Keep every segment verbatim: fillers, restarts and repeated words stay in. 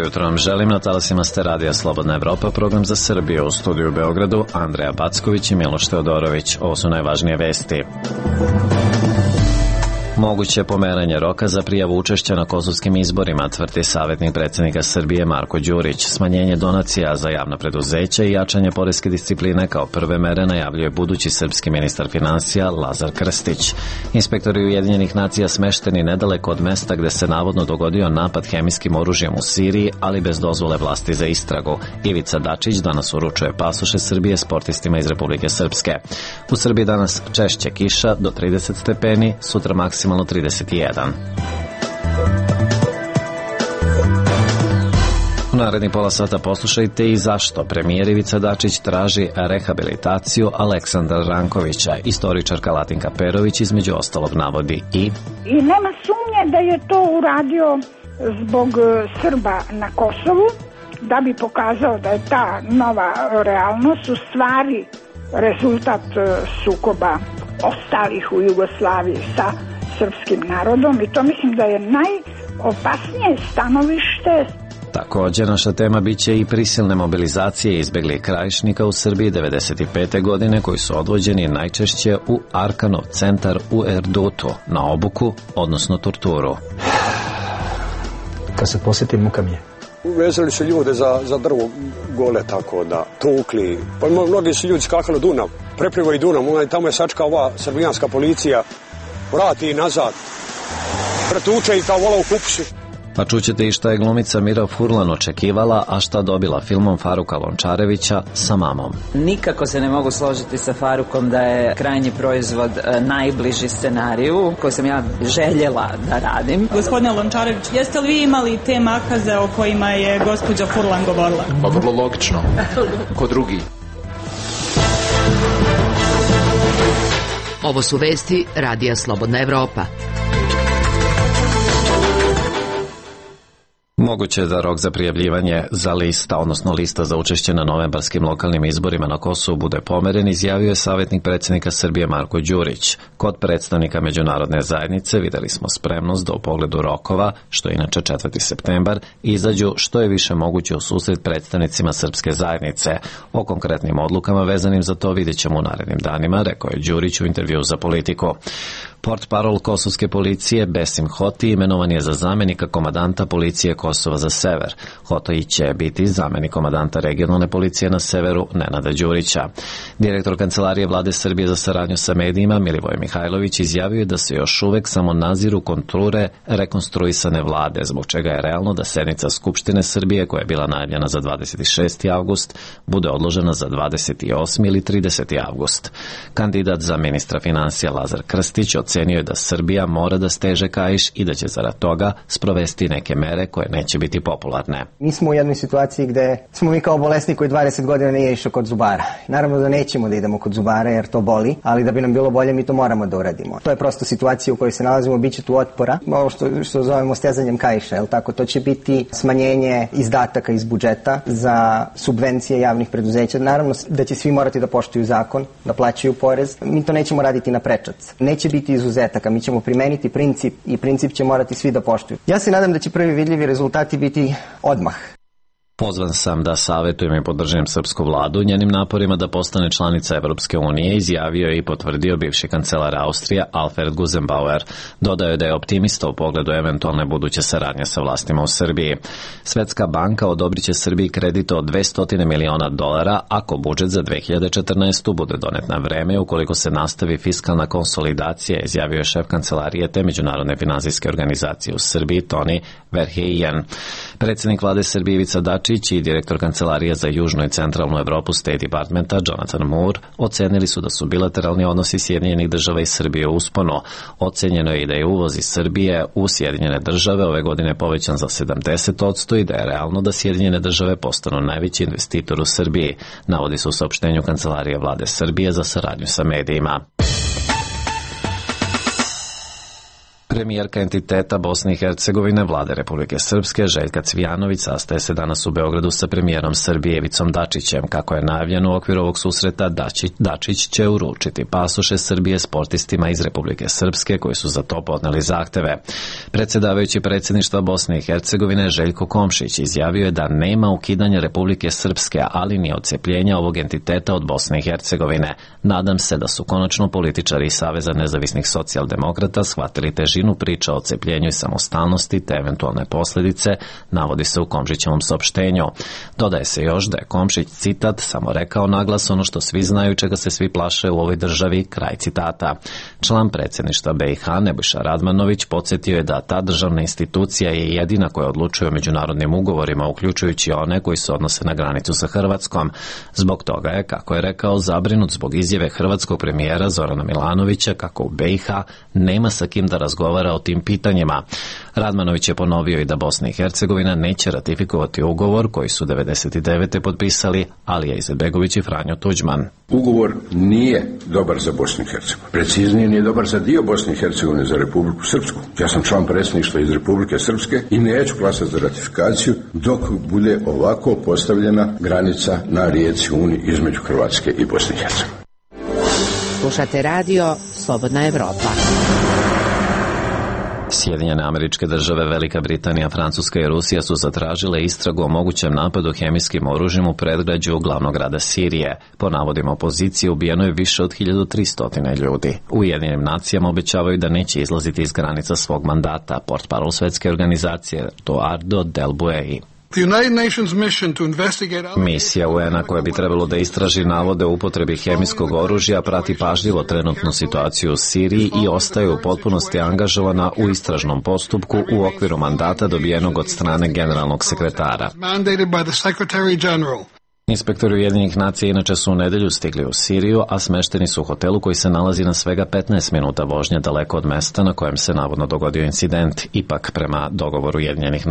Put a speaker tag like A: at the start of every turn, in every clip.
A: jutro vam želim, na talasima ste radija Slobodna Evropa, program za Srbiju. U studiju u Beogradu Andreja Backović i Miloš Teodorović. Ovo su najvažnije vesti. Moguće pomeranje roka za prijavu učešća na kosovskim izborima, tvrdi savjetnik predsjednika Srbije Marko Đurić. Smanjenje donacija za javna preduzeća i jačanje poreske discipline kao prve mere najavljuje budući srpski ministar finansija Lazar Krstić. Inspektori Ujedinjenih nacija smešteni nedaleko od mesta gde se navodno dogodio napad hemijskim oružjem u Siriji, ali bez dozvole vlasti za istragu. Ivica Dačić danas uručuje pasoše Srbije sportistima iz Republike Srpske. U Srbiji danas češće kiša do trideset stepeni, sutra maksimalno trideset jedan. U narednih pola sata poslušajte i zašto premijer Ivica Dačić traži rehabilitaciju Aleksandra Rankovića. Istoričarka Latinka Perović između ostalog navodi i...
B: I nema sumnje da je to uradio zbog Srba na Kosovu, da bi pokazao da je ta nova realnost u stvari rezultat sukoba ostalih u Jugoslaviji sa srpskim narodom, i to mislim da je najopasnije stanovište.
A: Također naša tema biće i prisilne mobilizacije izbjeglih krajišnika u Srbiji devedeset pete godine koji su odvođeni najčešće u Arkanov centar u Erdutu na obuku, odnosno torturu.
C: Kad se posjetim, muka mi je.
D: Vezali su ljude za, za drvo gole, tako da tukli. Pa mnogi su ljudi skakali Dunav, preplivali Dunav, tamo je sačka ova srbijanska policija, vrati i nazad, pretuče i kao vola u kupusu.
A: Pa čućete i šta je glumica Mira Furlan očekivala, a šta dobila filmom Faruka Lončarevića Sa mamom.
E: Nikako se ne mogu složiti sa Farukom da je krajnji proizvod najbliži scenariju koji sam ja željela da radim.
F: Gospodine Lončarević, jeste li vi imali te makaze o kojima je gospođa Furlan govorila?
G: Pa vrlo logično. Ko drugi.
H: Ovo su vesti radija Slobodna Evropa.
A: Moguće je da rok za prijavljivanje za lista, odnosno lista za učešće na novembarskim lokalnim izborima na Kosovu bude pomeren, izjavio je savjetnik predsjednika Srbije Marko Đurić. Kod predstavnika međunarodne zajednice videli smo spremnost da u pogledu rokova, što je inače četvrti septembar, izađu što je više moguće u susret predstavnicima srpske zajednice. O konkretnim odlukama vezanim za to vidjet ćemo u narednim danima, rekao je Đurić u intervjuu za Politiku. Portparol kosovske policije Besim Hoti imenovan je za zamenika komandanta policije Kosova za sever. Hoti će biti zamenik komandanta regionalne policije na severu Nenada Đurića. Direktor Kancelarije Vlade Srbije za saradnju sa medijima Milivoj Mihajlović izjavio je da se još uvek samo naziru konture rekonstruisane vlade, zbog čega je realno da sednica Skupštine Srbije, koja je bila najavljena za dvadeset šesti avgust, bude odložena za dvadeset osmi ili trideseti avgust. Kandidat za ministra finansija Lazar Krstić ocenio je da Srbija mora da steže kaiš i da će zarad toga sprovesti neke mere koje neće biti popularne.
C: Mi smo u jednoj situaciji gde smo mi kao bolesni koji dvadeset godina nije išao kod zubara. Naravno da nećemo da idemo kod zubara jer to boli, ali da bi nam bilo bolje mi to moramo da uradimo. To je prosto situacija u kojoj se nalazimo, bit će tu otpora, ovo što, što zovemo stezanjem kaiša, jel tako? To će biti smanjenje izdataka iz budžeta za subvencije javnih preduzeća. Naravno da će svi morati da poštuju zakon, da plaćaju porez. Mi to nećemo raditi na prečac. Neće biti izuzetaka, mi ćemo primeniti princip i princip će morati svi da poštuju. Ja se nadam da će prvi vidljivi rezultati biti odmah.
A: Pozvan sam da savjetujem i podržim srpsku vladu njenim naporima da postane članica Evropske unije, izjavio je i potvrdio bivši kancelar Austrija Alfred Gusenbauer. Dodao je da je optimista u pogledu eventualne buduće saradnje sa vlastima u Srbiji. Svetska banka odobrit će Srbiji kredit od dvesta miliona dolara ako budžet za dve hiljade četrnaestu. bude donet na vreme ukoliko se nastavi fiskalna konsolidacija, izjavio je šef kancelarije te međunarodne finansijske organizacije u Srbiji Toni Verheijen. Predsjednik vlade Srbije Ivica Dačić i direktor Kancelarije za južnu i centralnu Evropu State Departmenta Jonathan Moore ocenili su da su bilateralni odnosi Sjedinjenih država i Srbije u usponu. Ocenjeno je i da je uvoz iz Srbije u Sjedinjene države ove godine povećan za sedamdeset posto i da je realno da Sjedinjene države postanu najveći investitor u Srbiji, navodi se u saopštenju Kancelarije vlade Srbije za saradnju sa medijima. Premijerka entiteta Bosne i Hercegovine Vlade Republike Srpske Željka Cvijanović sastaje se danas u Beogradu sa premijerom Srbije Ivicom Dačićem. Kako je najavljeno u okviru ovog susreta, Dačić, Dačić će uručiti pasoše Srbije sportistima iz Republike Srpske koji su za to podneli zahteve. Predsjedavajući predsjedništva Bosne i Hercegovine Željko Komšić izjavio je da nema ukidanja Republike Srpske, ali ni odcepljenja ovog entiteta od Bosne i Hercegovine. Nadam se da su konačno političari iz Saveza nezavisnih socijaldemokrata shvatili težinu priča o odcepljenju i samostalnosti te eventualne posljedice, navodi se u Komšićevom saopštenju. Dodaje se još da je Komšić, citat, samo rekao naglas ono što svi znaju, čega se svi plaše u ovoj državi, kraj citata. Član predsjedništva B i H Nebojša Radmanović podsjetio je da ta državna institucija je jedina koja odlučuje o međunarodnim ugovorima, uključujući one koji se odnose na granicu sa Hrvatskom. Zbog toga je, kako je rekao, zabrinut zbog izjave hrvatskog premijera Zorana Milanovića kako u B i H nema sa kim da razgovara o tim pitanjima. Radmanović je ponovio i da Bosna i Hercegovina neće ratifikovati ugovor koji su devedeset devete potpisali Alija Izetbegović i Franjo Tuđman.
I: Ugovor nije dobar za Bosnu i Hercegovinu. Preciznije, nije dobar za dio Bosne i Hercegovine, za Republiku Srpsku. Ja sam član predsjedništva iz Republike Srpske i neću glasati za ratifikaciju dok bude ovako postavljena granica na rijeci Uni između Hrvatske i Bosne i Hercegovine.
H: Slušate radio Slobodna Evropa.
A: Sjedinjene Američke Države, Velika Britanija, Francuska i Rusija su zatražile istragu o mogućem napadu hemijskim oružjem u predgrađu glavnog grada Sirije. Po navodima opozicije ubijeno je više od hiljadu tristo ljudi. U Ujedinjenim nacijama obećavaju da neće izlaziti iz granica svog mandata, portparol Svetske organizacije Eduardo Del Buei. Misija U N-a koja bi trebalo da istraži navode o upotrebi hemijskog oružja prati pažljivo trenutnu situaciju u Siriji i ostaje u potpunosti angažovana u istražnom postupku u okviru mandata dobijenog od strane generalnog sekretara. Inspektori Ujedinjenih nacija inače su u nedelju stigli u Siriju, a smešteni su u hotelu koji se nalazi na svega petnaest minuta vožnje daleko od mesta na kojem se navodno dogodio incident. Ipak, prema dogovoru Ujedinjenih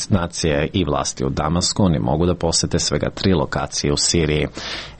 A: nacija i vlasti u Damasku, oni mogu da posete svega tri lokacije u Siriji.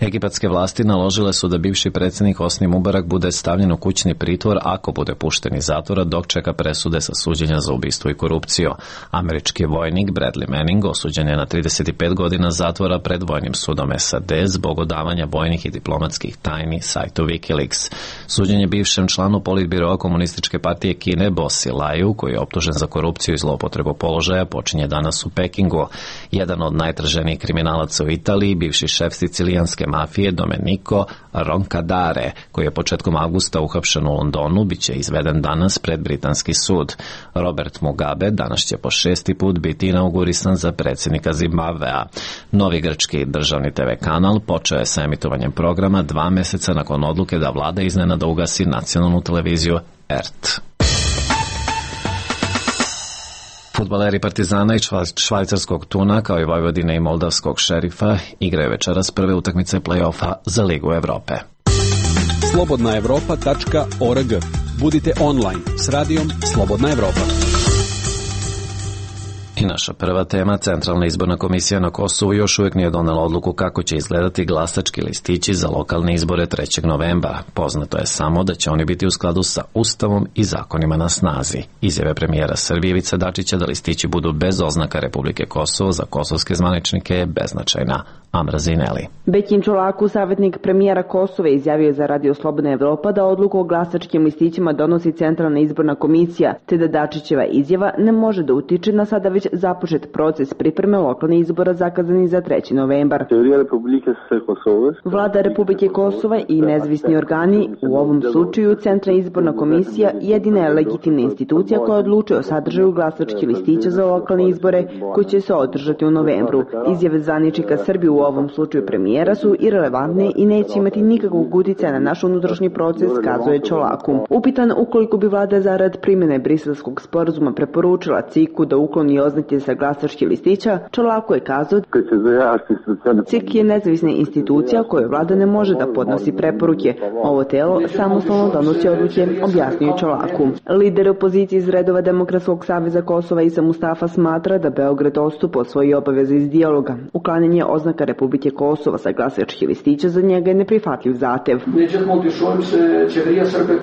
A: Egipatske vlasti naložile su da bivši predsjednik Hosni Mubarak bude stavljen u kućni pritvor ako bude pušten iz zatvora dok čeka presude sa suđenja za ubistvo i korupciju. Američki vojnik Bradley Manning osuđen je na trideset pet godina zatvora pred vojnim sudom S A D zbog odavanja vojnih i diplomatskih tajni sajtu Wikileaks. Suđenje bivšem članu politbiroa Komunističke partije Kine Bossi Laju, koji je optužen za korupciju i zloupotrebu položaja, počinje danas u Pekingu. Jedan od najtraženijih kriminalaca u Italiji, bivši šef sicilijanske mafije Domenico Roncadare, koji je početkom avgusta uhapšen u Londonu, bit će izveden danas pred britanski sud. Robert Mugabe danas će po šesti put biti inaugurisan za predsjednika Zimbabvea. Novi grčki državni te ve kanal počeo je sa emitovanjem programa dva meseca nakon odluke da vlada iznenada ugasi nacionalnu televiziju R T. Fudbaleri Partizana i švajcarskog Tuna, kao i Vojvodine i moldavskog Šerifa, igraju večeras prve utakmice play-offa za Ligu Evrope.
J: slobodna evropa tačka org. Budite online s radijom Slobodna Evropa.
A: I naša prva tema, Centralna izborna komisija na Kosovu još uvijek nije donela odluku kako će izgledati glasački listići za lokalne izbore trećeg novembra. Poznato je samo da će oni biti u skladu sa Ustavom i zakonima na snazi. Izjave premijera Srbije Ivice Dačića da listići budu bez oznaka Republike Kosovo za kosovske zvaničnike je beznačajna. Amra Zineli.
K: Bećin Čolaku, savjetnik premijera Kosova, izjavio za Radio Slobodna Evropa da odluku o glasačkim listićima donosi Centralna izborna komisija, te da Dačićeva izjava ne može da utiče na sada već započet proces pripreme lokalnih izbora zakazani za treći novembar. Vlada Republike Kosova i nezavisni organi, u ovom slučaju Centralna izborna komisija, jedina je legitimna institucija koja odlučuje o sadržaju glasačkih listića za lokalne izbore koji će se održati u novembru. Izjave zvaničnika Srbije, u ovom slučaju premijera, su irelevantne i neće imati nikakvog uticaja na naš unutrašnji proces, kazuje Čolaku. Upitan ukoliko bi vlada zarad primjene Briselskog sporazuma preporučila C I K-u da ukloni oznake poznati sa glasačkih listića, Čolako je kazao C I K je nezavisna institucija kojoj vlada ne može da podnosi preporuke. Ovo telo samostalno donosi odluke, objasnio Čolaku. Lider opozicije iz redova Demokratskog saveza Kosova Isa Mustafa smatra da Beograd odstupa od svoje obaveze iz dijaloga. Uklanjanje oznaka Republike Kosova sa glasačkih listića za njega je neprihvatljiv zahtev.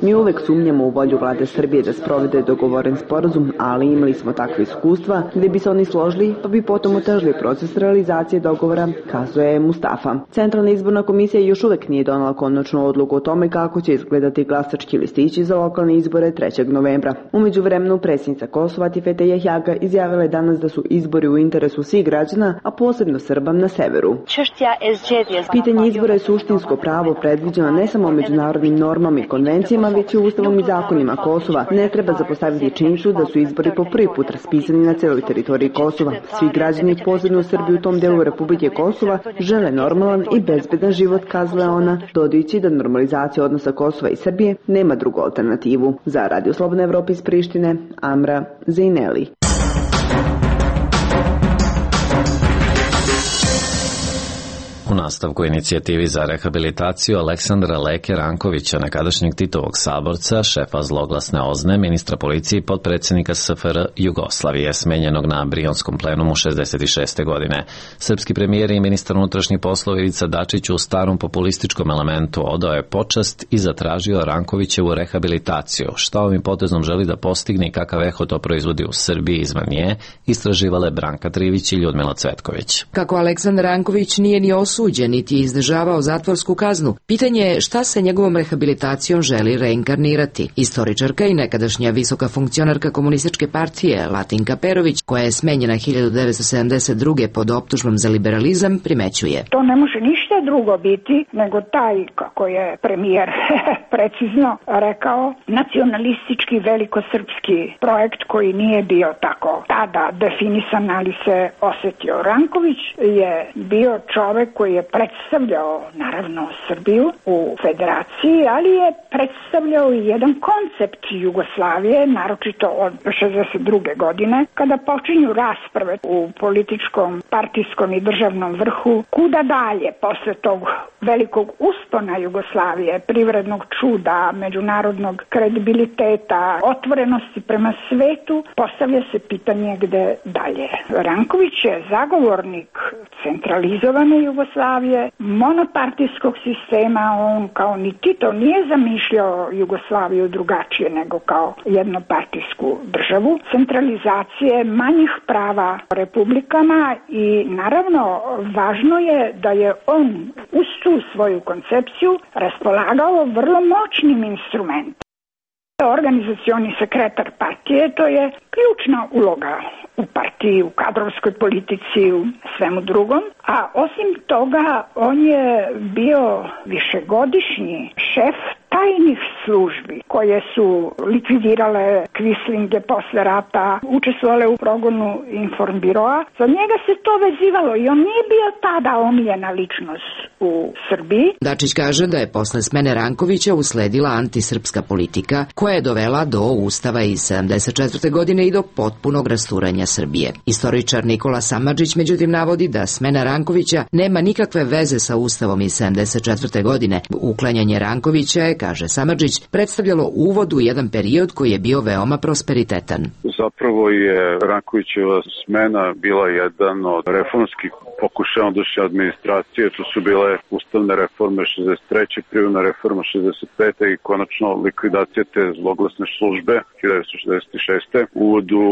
K: Mi uvek sumnjamo u volju vlade Srbije da sprovede dogovoren sporazum, ali imali smo takve iskustva gde bi se oni složili pa bi potom otežili proces realizacije dogovora, kazuje Mustafa. Centralna izborna komisija još uvek nije donala konačnu odluku o tome kako će izgledati glasački listići za lokalne izbore trećeg novembra. Umeđu vremenu predsjednica Kosova Tifete Jahjaga izjavila je danas da su izbori u interesu svih građana, a posebno Srba na severu. Pitanje izbora je suštinsko pravo predviđeno ne samo međunarodnim normama i konvencijama, već i ustavom i zakonima Kosova. Ne treba zapostaviti činjenicu da su izbori po prvi put raspisani na celoj teritoriji Kosova. Svi građani, posebno u Srbiji u tom delu Republike Kosova, žele normalan i bezbedan život, kazala je ona, dodajući da normalizacija odnosa Kosova i Srbije nema drugu alternativu. Za Radio Slobodna Evropa iz Prištine, Amra Zejneli.
A: U nastavku inicijativi za rehabilitaciju Aleksandra Leke Rankovića, nekadašnjeg Titovog saborca, šefa zloglasne O Z N E, ministra policije i potpredsjednika S F R Jugoslavije, smenjenog na Brionskom plenumu šezdeset šeste godine. Srpski premijer i ministar unutrašnjih poslova Ivica Dačić u starom populističkom elementu odao je počast i zatražio Rankovićevu rehabilitaciju. Šta ovim potezom želi da postigne i kakav eho to proizvodi u Srbiji i izvan nje, istraživale Branka Trivić i Ljudmila Cvetković.
H: Kako Aleksandar Ranković nije ni osuđen, niti je izdržavao zatvorsku kaznu, pitanje je šta se njegovom rehabilitacijom želi reinkarnirati. Istoričarka i nekadašnja visoka funkcionarka komunističke partije Latinka Perović, koja je smenjena hiljadu devetsto sedamdeset druge pod optužbom za liberalizam, primećuje.
B: To ne može ništa drugo biti nego taj, kako je premijer precizno rekao, nacionalistički velikosrpski projekt koji nije bio tako tada definisan, ali se osetio. Ranković je bio čovek koji je predstavljao, naravno, Srbiju u federaciji, ali je predstavljao i jedan koncept Jugoslavije, naročito od šezdeset druge godine, kada počinju rasprave u političkom, partijskom i državnom vrhu, kuda dalje posle tog velikog uspona Jugoslavije, privrednog čuda, međunarodnog kredibiliteta, otvorenosti prema svetu, postavlja se pitanje gde dalje. Ranković je zagovornik centralizovane Jugoslavije, monopartijskog sistema. On kao ni Tito nije zamišljao Jugoslaviju drugačije nego kao jednopartijsku državu, centralizacije manjih prava republikama i naravno važno je da je on uz tu svoju koncepciju raspolagao vrlo moćnim instrumentom. Organizacioni sekretar partije, to je ključna uloga u partiji, u kadrovskoj politici, u svemu drugom, a osim toga on je bio višegodišnji šef tajnih službi koje su likvidirale kvislinge posle rata, učestvovale u progonu Informbiroa. Za njega se to vezivalo i on nije bio tada omiljena ličnost u Srbiji.
H: Dačić kaže da je posle smene Rankovića usledila antisrpska politika koja je dovela do Ustava iz sedamdeset četvrte godine i do potpunog rasturanja Srbije. Istoričar Nikola Samardžić međutim navodi da smena Rankovića nema nikakve veze sa Ustavom iz sedamdeset četvrte godine. Uklanjanje Rankovića je, kaže Samardžić, predstavljalo uvod u jedan period koji je bio veoma prosperitetan.
L: Zapravo je Rankovićeva smena bila jedan od reformskih pokušaja ondašnje administracije. To su bile ustavne reforme šezdeset treće, privredna reforma šezdeset pete i konačno likvidacija te zloglasne službe hiljadu devetsto šezdeset šeste. Uvod u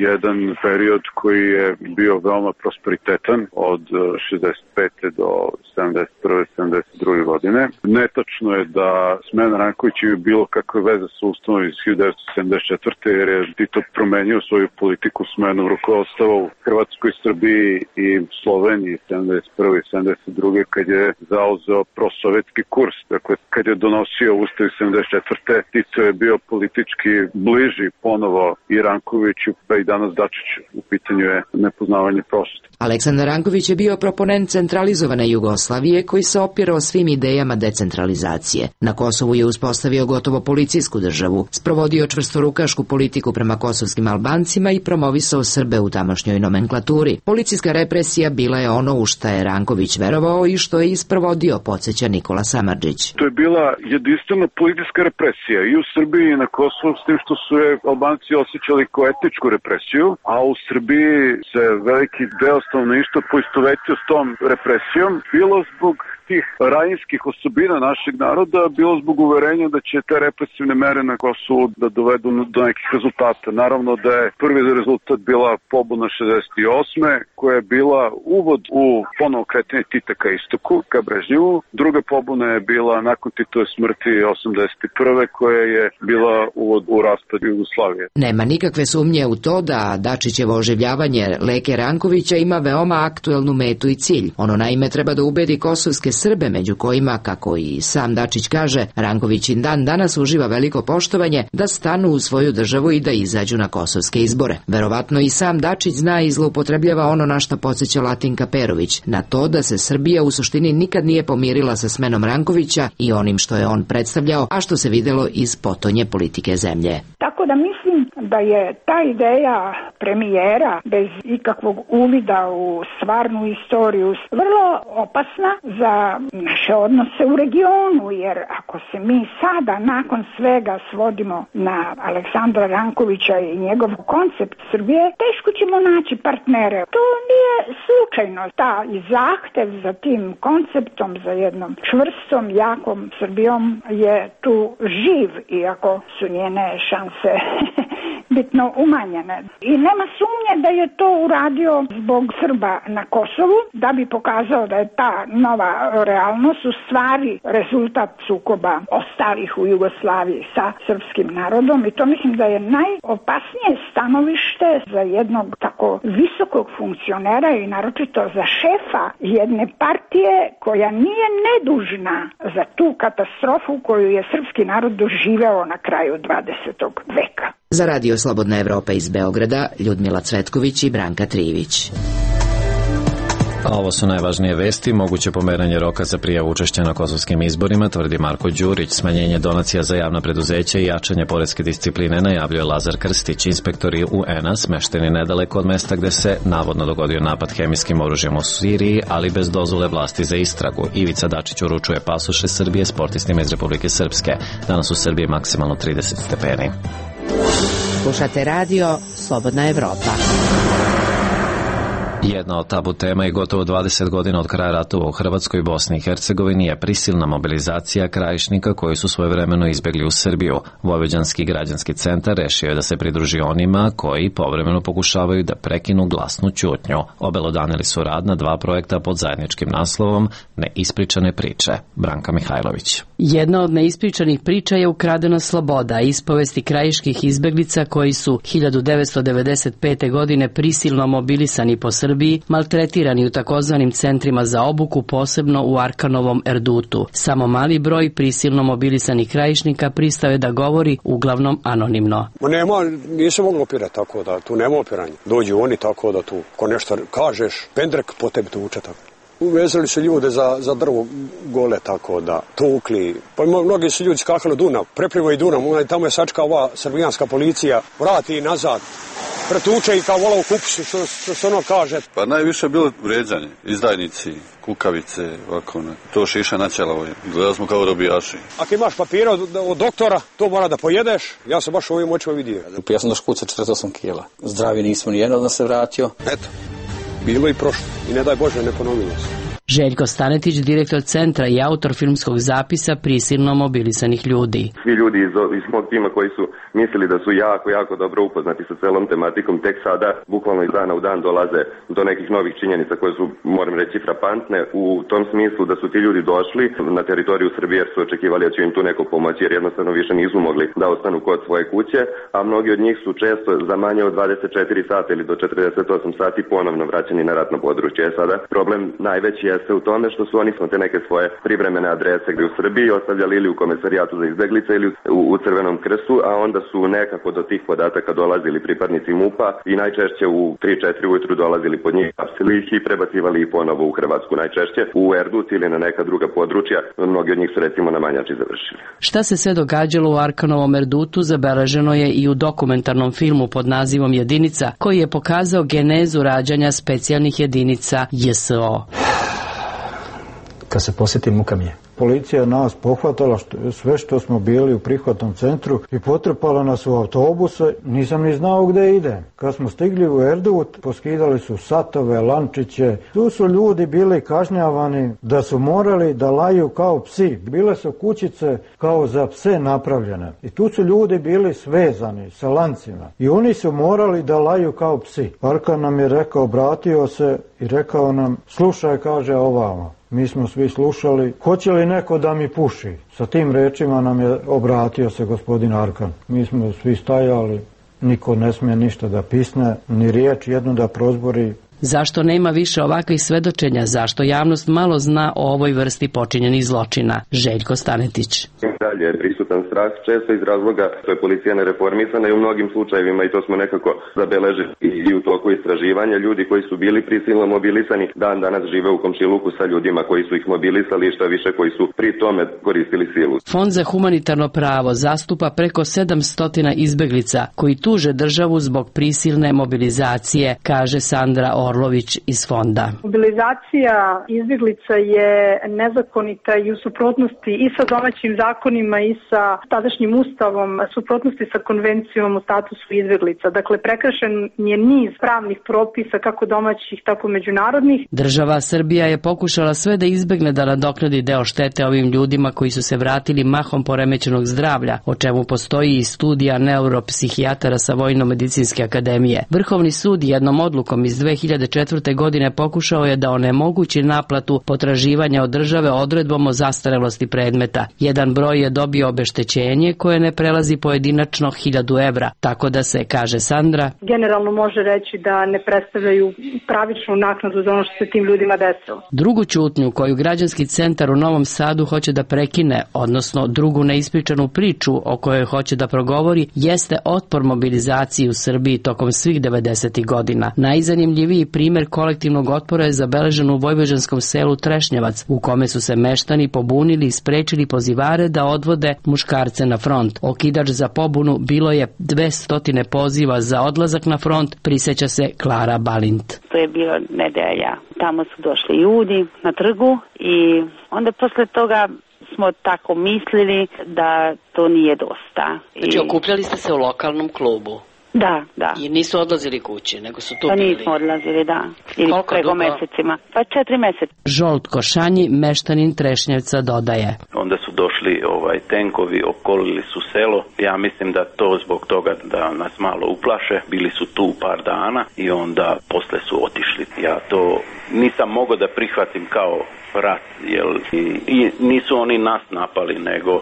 L: jedan period koji je bio veoma prosperitetan od šezdeset pete do sedamdeset prve sedamdeset druge godine. Netačno je da smena Rankovića je bilo kakve veze sa ustavom iz hiljadu devetsto sedamdeset četvrte jer je Tito promenio svoju politiku smenom rukovodstva u Hrvatskoj, Srbiji i Sloveniji sedamdeset prve i sedamdeset druge kad je zauzeo prosovjetski kurs. Dakle, kad je donosio ustav iz sedamdeset četvrte Tito je bio politički bliži ponovo i Rankoviću, pa i danas Dačiću. U pitanju je nepoznavanje prošlosti.
H: Aleksandar Ranković je bio proponent centralizovane Jugoslavije koji se opirao svim idejama decentralizacije. Na Kosovu Kosovu je uspostavio gotovo policijsku državu, sprovodio čvrstorukašku politiku prema kosovskim Albancima i promovisao Srbe u tamošnjoj nomenklaturi. Policijska represija bila je ono u šta je Ranković verovao i što je isprovodio, podsjeća Nikola Samardžić.
L: To je bila jedinstvena politička represija i u Srbiji i na Kosovu, s tim što su je Albanci osjećali kao etničku represiju, a u Srbiji se veliki deo stanovništva poistovetio s tom represijom, bilo zbog tih rajinskih osobina našeg naroda, bilo zbog uverenja da će te represivne mere na Kosovu da dovedu do nekih rezultata. Naravno da je prvi rezultat bila pobuna šezdeset osme koja je bila uvod u ponovo kretanje Tita ka istoku, ka Brežnjevu. Druga pobuna je bila nakon Titove smrti osamdeset prve koja je bila uvod u raspad Jugoslavije.
H: Nema nikakve sumnje u to da Dačićevo oživljavanje Leke Rankovića ima veoma aktuelnu metu i cilj. Ono naime treba da ubedi kosovske Srbe, među kojima, kako i sam Dačić kaže, Ranković i dan danas uživa veliko poštovanje, da stanu u svoju državu i da izađu na kosovske izbore. Verovatno i sam Dačić zna i zloupotrebljava ono na što podsjeća Latinka Perović, na to da se Srbija u suštini nikad nije pomirila sa smenom Rankovića i onim što je on predstavljao, a što se videlo iz potonje politike zemlje.
B: Tako da mislim da je ta ideja premijera bez ikakvog uvida u stvarnu istoriju vrlo opasna za naše odnose u regionu, jer ako se mi sada nakon svega svodimo na Aleksandra Rankovića i njegov koncept Srbije, teško ćemo naći partnere. To nije slučajno. Ta zahtev za tim konceptom, za jednom čvrstom, jakom Srbijom je tu živ, iako su njene šanse bitno umanjene. I nema sumnje da je to uradio zbog Srba na Kosovu, da bi pokazao da je ta nova realnost u stvari rezultat sukoba ostalih u Jugoslaviji sa srpskim narodom, i to mislim da je najopasnije stanovište za jednog tako visokog funkcionera i naročito za šefa jedne partije koja nije nedužna za tu katastrofu koju je srpski narod doživeo na kraju dvadesetog veka.
H: Za Radio Slobodna Evropa iz Beograda, Ljudmila Cvetković i Branka Trivić.
A: A ovo su najvažnije vesti. Moguće pomeranje roka za prijavu učešća na kosovskim izborima, tvrdi Marko Đurić. Smanjenje donacija za javna preduzeća i jačanje poreske discipline najavljuje Lazar Krstić. Inspektori U N A smešteni nedaleko od mesta gde se navodno dogodio napad hemijskim oružjem u Siriji, ali bez dozvole vlasti za istragu. Ivica Dačić uručuje pasoše Srbije sportistima iz Republike Srpske. Danas u Srbiji maksimalno trideset stepeni.
H: Slušate radio Slobodna Evropa.
A: Jedna od tabu tema i gotovo dvadeset godina od kraja ratova u Hrvatskoj i Bosni i Hercegovini je prisilna mobilizacija krajišnika koji su svojevremeno izbegli u Srbiju. Vojvođanski građanski centar rešio je da se pridruži onima koji povremeno pokušavaju da prekinu glasnu ćutnju. Obelodanili su rad na dva projekta pod zajedničkim naslovom Neispričane priče. Branka Mihajlović.
M: Jedna od neispričanih priča je Ukradena sloboda, ispovesti krajiških izbeglica koji su hiljadu devetsto devedeset pete. godine prisilno mobilisani po Srbiji, maltretirani u takozvanim centrima za obuku, posebno u Arkanovom Erdutu. Samo mali broj prisilno mobilisanih krajišnika pristao je da govori, uglavnom anonimno.
D: Ma nema, nisam moglo opirati tako da tu nema opiranja. Dođu oni tako da tu, ko nešto kažeš, pendrek po tebi tuče tako. Uvezali su ljude za, za drvo gole tako da tukli. Pa mnogi su ljudi skakali Dunav, preplivaju Dunav, tamo je sačka ova srbijanska policija, vrati nazad. Pretuče i kao vola u kupusu, što, što se ono kaže.
N: Pa najviše je bilo vređanje, izdajnici, kukavice, ovako, ne. To šiša načela, gledali smo kao robijaši.
D: Ako imaš papira od, od doktora, to mora da pojedeš, ja sam baš ovim očima vidio.
O: Ja sam do škuca četrdeset osam kila, zdravi nismo, nijedno da se vratio.
D: Eto, bilo i prošlo, i ne daj Bože, ne ponovilo se.
M: Željko Stanetić, direktor centra i autor filmskog zapisa prisilno mobilisanih ljudi.
P: Svi ljudi iz, iz mog tima koji su mislili da su jako, jako dobro upoznati sa celom tematikom, tek sada, bukvalno iz dana u dan, dolaze do nekih novih činjenica koje su, moram reći, frapantne, u tom smislu da su ti ljudi došli na teritoriju Srbije jer su očekivali da će im tu neko pomoći, jer jednostavno više nisu mogli da ostanu kod svoje kuće, a mnogi od njih su često za manje od dvadeset četiri sata ili do četrdeset osam sati ponovno vraćeni na ratno područje. Sada problem najveći je jeste u tome što su oni smo te neke svoje privremene adrese gde u Srbiji ostavljali ili u komesarijatu za izbeglice ili u, u Crvenom krstu, a onda su nekako do tih podataka dolazili pripadnici MUP-a i najčešće u tri četiri ujutru dolazili pod njih, hapsili ih i prebacivali ih ponovo u Hrvatsku, najčešće u Erdut ili na neka druga područja. Mnogi od njih su recimo na Manjači završili.
M: Šta se sve događalo u Arkanovom Erdutu zabeleženo je i u dokumentarnom filmu pod nazivom Jedinica, koji je pokazao genezu rađanja specijalnih jedinica J S O.
Q: Kad se posjeti muka mi je. Policija nas pohvatala što, sve što smo bili u prihvatnom centru i potrpala nas u autobuse, nisam ni znao gde ide. Kad smo stigli u Erdut, poskidali su satove, lančiće, tu su ljudi bili kažnjavani da su morali da laju kao psi. Bile su kućice kao za pse napravljene i tu su ljudi bili svezani sa lancima i oni su morali da laju kao psi. Arkan nam je rekao, obratio se i rekao nam, slušaj, kaže ovamo. Mi smo svi slušali, hoće li neko da mi puši? Sa tim rečima nam je obratio se gospodin Arkan. Mi smo svi stajali, niko ne smije ništa da pisne, ni riječ jednu da prozbori.
M: Zašto nema više ovakvih svedočenja? Zašto javnost malo zna o ovoj vrsti počinjenih zločina? Željko Stanetić.
P: Dalje je prisutan strah, često iz razloga što je policija nereformisana i u mnogim slučajevima, i to smo nekako zabeležili i u toku istraživanja, ljudi koji su bili prisilno mobilisani dan danas žive u komšiluku sa ljudima koji su ih mobilisali, što više koji su pri tome koristili silu.
M: Fond za humanitarno pravo zastupa preko sedamsto izbeglica koji tuže državu zbog prisilne mobilizacije, kaže Sandra Orlović iz fonda.
R: Mobilizacija izbeglica je nezakonita i u suprotnosti i sa domaćim zakonima i sa tadašnjim ustavom, suprotnosti sa konvencijom o statusu izbeglica. Dakle, prekršen je niz pravnih propisa, kako domaćih, tako međunarodnih.
M: Država Srbija je pokušala sve da izbegne da nadoknadi deo štete ovim ljudima koji su se vratili mahom poremećenog zdravlja, o čemu postoji i studija neuropsihijatara sa Vojno-medicinske akademije. Vrhovni sud jednom odlukom iz dve hiljade četvrte. godine pokušao je da onemogući naplatu potraživanja od države odredbom o zastarelosti predmeta. Jedan broj je dobio obeštećenje koje ne prelazi pojedinačno hiljadu evra, tako da se, kaže Sandra,
R: generalno može reći da ne predstavljaju pravičnu naknadu za ono što se tim ljudima desilo.
M: Drugu ćutnju koju građanski centar u Novom Sadu hoće da prekine, odnosno drugu neispričanu priču o kojoj hoće da progovori, jeste otpor mobilizaciji u Srbiji tokom svih devedesetih godina. Najzanimljiviji primer kolektivnog otpora je zabeležen u vojvođanskom selu Trešnjevac, u kome su se meštani pobunili i sprečili pozivare da odvode muškarce na front. Okidač za pobunu bilo je dvesta poziva za odlazak na front, priseća se Klara Balint.
S: To je bilo nedelja. Tamo su došli ljudi na trgu i onda posle toga smo tako mislili da to nije dosta.
M: Znači, okupljali ste se u lokalnom klubu?
S: Da, da.
M: I nisu odlazili kući, nego su tu
S: pa
M: bili?
S: Nismo odlazili, da. Ili
M: koliko
S: preko
M: dugo?
S: mesecima. Pa četiri meseca.
M: Žolt Košanji, meštanin Trešnjevca, dodaje.
T: Onda su došli ovaj tenkovi, okolili su selo. Ja mislim da to zbog toga da nas malo uplaše. Bili su tu par dana i onda posle su otišli. Ja to nisam mogao da prihvatim kao rat, jel? I, i nisu oni nas napali, nego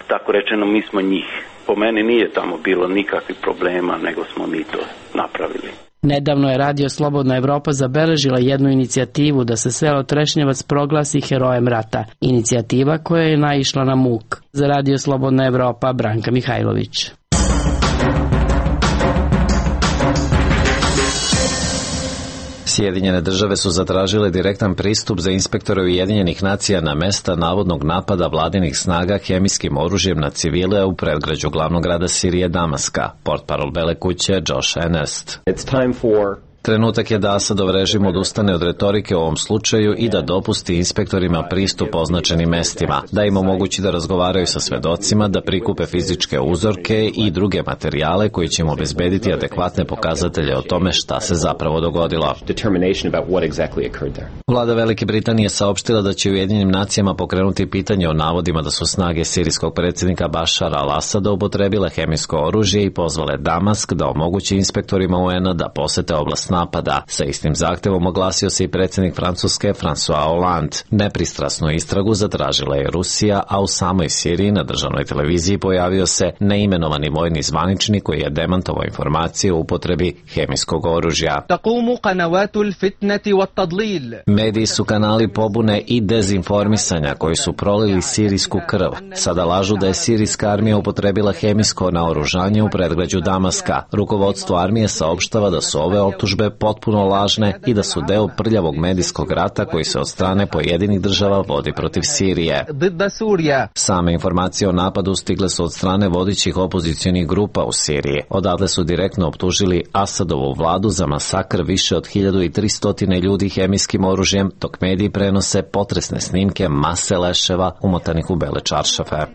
T: tako rečeno mi smo njih. Po meni nije tamo bilo nikakvih problema, nego smo mi to napravili.
M: Nedavno je Radio Slobodna Evropa zabeležila jednu inicijativu da se selo Trešnjevac proglasi herojem rata. Inicijativa koja je naišla na muk. Za Radio Slobodna Evropa, Branka Mihajlović.
A: Sjedinjene države su zatražile direktan pristup za inspektore Ujedinjenih nacija na mesta navodnog napada vladinih snaga hemijskim oružjem na civile u predgrađu glavnog grada Sirije Damaska. Portparol Bele kuće Josh Ernest. It's time for Trenutak je da Asadov režim odustane od retorike u ovom slučaju i da dopusti inspektorima pristup označenim mestima, da im omogući da razgovaraju sa svedocima, da prikupe fizičke uzorke i druge materijale koji će im obezbediti adekvatne pokazatelje o tome šta se zapravo dogodilo. Vlada Velike Britanije saopštila da će Ujedinjenim nacijama pokrenuti pitanje o navodima da su snage sirijskog predsjednika Bašara al-Asada upotrebile hemijsko oružje i pozvale Damask da omogući inspektorima U N-a da posete oblast napada. Sa istim zahtevom oglasio se i predsjednik Francuske François Hollande. Nepristrasnu istragu zatražila je Rusija, a u samoj Siriji na državnoj televiziji pojavio se neimenovani vojni zvaničnik koji je demantovao informacije o upotrebi hemijskog oružja. Mediji su kanali pobune i dezinformisanja koji su prolili sirijsku krv. Sada lažu da je sirijska armija upotrebila hemijsko naoružanje u predgrađu Damaska. Rukovodstvo armije saopštava da su ove optužbe potpuno lažne i da su deo prljavog medijskog rata koji se od strane pojedinih država vodi protiv Sirije. Same informacije o napadu stigle su od strane vodećih opozicionih grupa u Siriji. Odatle su direktno optužili Asadovu vladu za masakr više od hiljadu tristo ljudi hemijskim oružjem, dok mediji prenose potresne snimke mase leševa umotanih u bele čaršafe.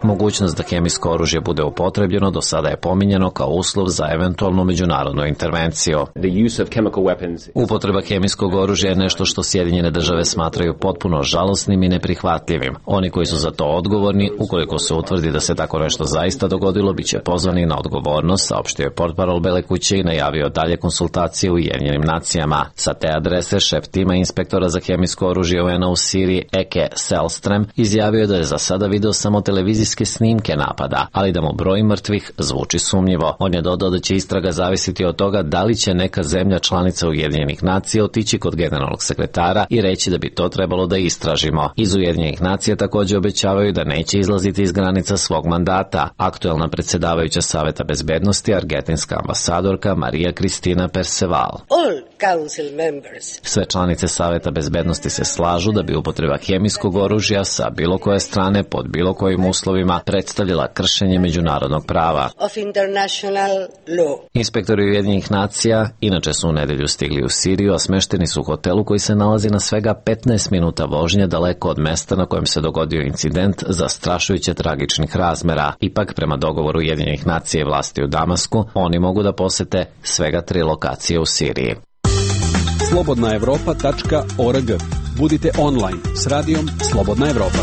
A: Mogućnost da hemijsko oružje bude upotrebljeno do sada je pominjeno kao uslov za eventualnu međunarodnu intervenciju. Upotreba hemijskog oružja je nešto što Sjedinjene države smatraju potpuno žalosnim i neprihvatljivim. Oni koji su za to odgovorni, ukoliko se utvrdi da se tako nešto zaista dogodilo, bit će pozvani na odgovornost, saopštio je portparol Bele kuće i najavio dalje konsultacije u Ujedinjenim nacijama. Sa te adrese šef tima inspektora za hemijsko oružje U N A u Siriji Eke Selstrem izjavio da je za sada video samo televizijske snimke napada, ali da mu broj mrtvih zvuči sumnjivo. On je dodao da će istraga zavisiti od toga da li će neka zemlja članica Ujedinjenih nacija otići kod generalnog sekretara i reći da bi to trebalo da istražimo. Iz Ujedinjenih nacija također obećavaju da neće izlaziti iz granica svog mandata. Aktuelna predsjedavajuća Saveta bezbednosti, argentinska ambasadorka Marija Kristina Perceval. Sve članice Saveta bezbednosti se slažu da bi upotreba hemijskog oružja sa bilo koje strane pod bilo kojim uslovima predstavljala kršenje međunarodnog prava. Inspektori Ujedinjenih nacija inače su u nedelju stigli u Siriju, a smešteni su u hotelu koji se nalazi na svega petnaest minuta vožnje daleko od mesta na kojem se dogodio incident zastrašujuće tragičnih razmera. Ipak, prema dogovoru Ujedinjenih nacija i vlasti u Damasku, oni mogu da posete svega tri lokacije u Siriji.
J: slobodna evropa tačka org. Budite online s radijom Slobodna Evropa.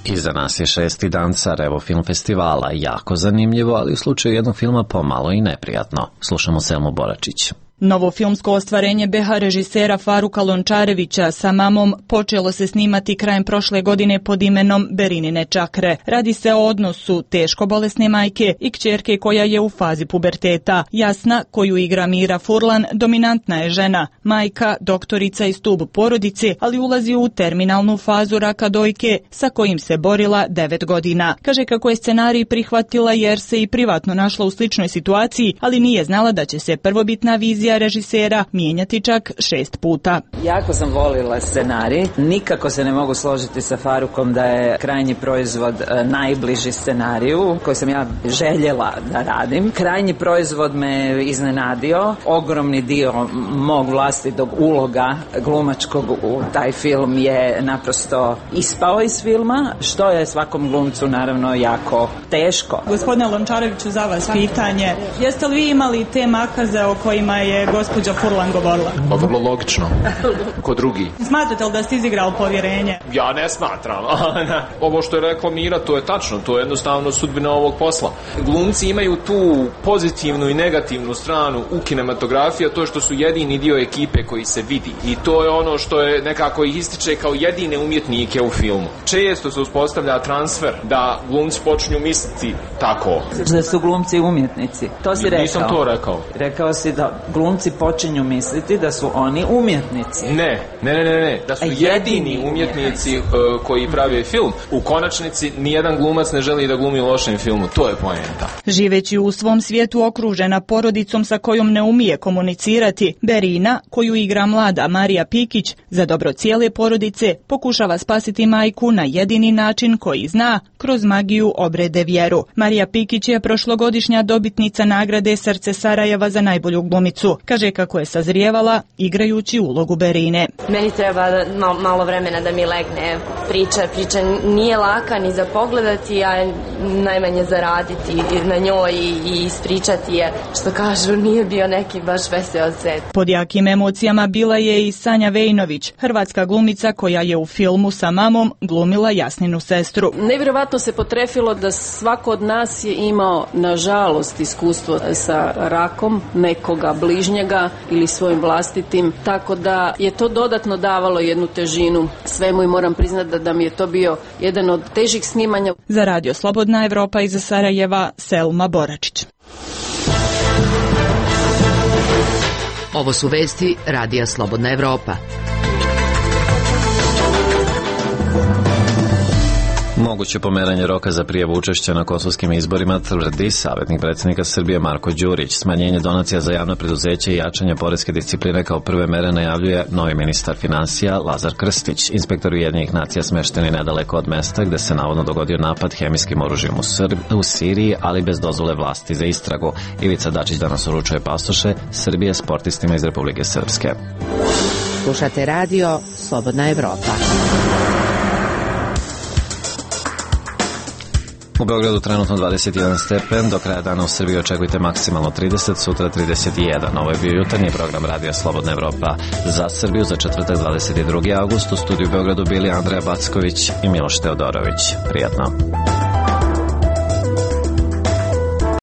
A: Iza nas je šesti dan Sarajevo film festivala. Jako zanimljivo, ali u slučaju jednog filma pomalo i neprijatno. Slušamo Selmu Boračić.
F: Novo filmsko ostvarenje B H režisera Faruka Lončarevića sa mamom počelo se snimati krajem prošle godine pod imenom Berinine čakre. Radi se o odnosu teško bolesne majke i kćerke koja je u fazi puberteta. Jasna, koju igra Mira Furlan, dominantna je žena, majka, doktorica i stub porodice, ali ulazi u terminalnu fazu raka dojke sa kojim se borila devet godina. Kaže kako je scenarij prihvatila jer se i privatno našla u sličnoj situaciji, ali nije znala da će se prvobitna vizija režisera mijenjati čak šest puta.
E: Jako sam volila scenarij. Nikako se ne mogu složiti sa Farukom da je krajnji proizvod najbliži scenariju koji sam ja željela da radim. Krajnji proizvod me iznenadio. Ogromni dio mog vlastitog uloga glumačkog u taj film je naprosto ispao iz filma, što je svakom glumcu naravno jako teško.
F: Gospodine Lončareviću, za vas pitanje. Jeste li vi imali te makaze o kojima je gospođa Furlan govorila?
G: Pa vrlo logično. Ko drugi.
F: Smatrate li da ste izigrali povjerenje?
G: Ja ne smatram. Ovo što je rekla Mira, to je tačno. To je jednostavno sudbina ovog posla. Glumci imaju tu pozitivnu i negativnu stranu u kinematografiji, a to je što su jedini dio ekipe koji se vidi. I to je ono što je nekako ih ističe kao jedine umjetnike u filmu. Često se uspostavlja transfer da glumci počinju misliti tako.
E: Da su glumci umjetnici. To si rekao.
G: Nisam to rekao.
E: Rekao si da glumci počinju misliti da su oni umjetnici.
G: Ne, ne, ne, ne, ne. Da su jedini, jedini umjetnici uh, koji prave film. U konačnici nijedan glumac ne želi da glumi u lošem filmu. To je poenta.
F: Živeći u svom svijetu okružena porodicom sa kojom ne umije komunicirati, Berina, koju igra mlada Marija Pikić, za dobro cijele porodice pokušava spasiti majku na jedini način koji zna, kroz magiju obrede vjeru. Marija Pikić je prošlogodišnja dobitnica nagrade Srce Sarajeva za najbolju glumicu. Kaže kako je sazrijevala igrajući ulogu Berine.
U: Meni treba malo, malo vremena da mi legne. Priča, priča nije laka ni za pogledati, a najmanje zaraditi na njoj i, i ispričati je, što kažu, nije bio neki baš veseo set.
F: Pod jakim emocijama bila je i Sanja Vejnović, hrvatska glumica koja je u filmu sa mamom glumila Jasninu sestru.
U: Nevjerovatno
C: verovatno se potrefilo da svako od nas je imao, nažalost, iskustvo sa rakom nekoga bližnjega ili svojim vlastitim, tako da je to dodatno davalo jednu težinu svemu i moram priznati da, da mi je to bio jedan od težih snimanja.
F: Za Radio Slobodna Evropa iz Sarajeva, Selma Boračić.
H: Ovo su vesti Radija Slobodna Evropa.
A: Moguće pomeranje roka za prijavu učešća na kosovskim izborima tvrdi savjetnik predsjednika Srbije Marko Đurić. Smanjenje donacija za javno preduzeće i jačanje poreske discipline kao prve mere najavljuje novi ministar finansija Lazar Krstić. Inspektor Ujedinjenih nacija smešteni nedaleko od mesta gde se navodno dogodio napad hemijskim oružjem u, Srb, u Siriji, ali bez dozvole vlasti za istragu. Ivica Dačić danas uručuje pasoše Srbije sportistima iz Republike Srpske.
H: Slušate radio Slobodna Evropa.
A: U Beogradu trenutno dvadeset jedan stepen, do kraja dana u Srbiji očekujte maksimalno trideset, sutra trideset jedan. Ovo je bio jutarnji program Radija Slobodna Evropa za Srbiju za četvrtak dvadeset drugi avgust. U studiju u Beogradu bili Andreja Backović i Miloš Teodorović. Prijatno.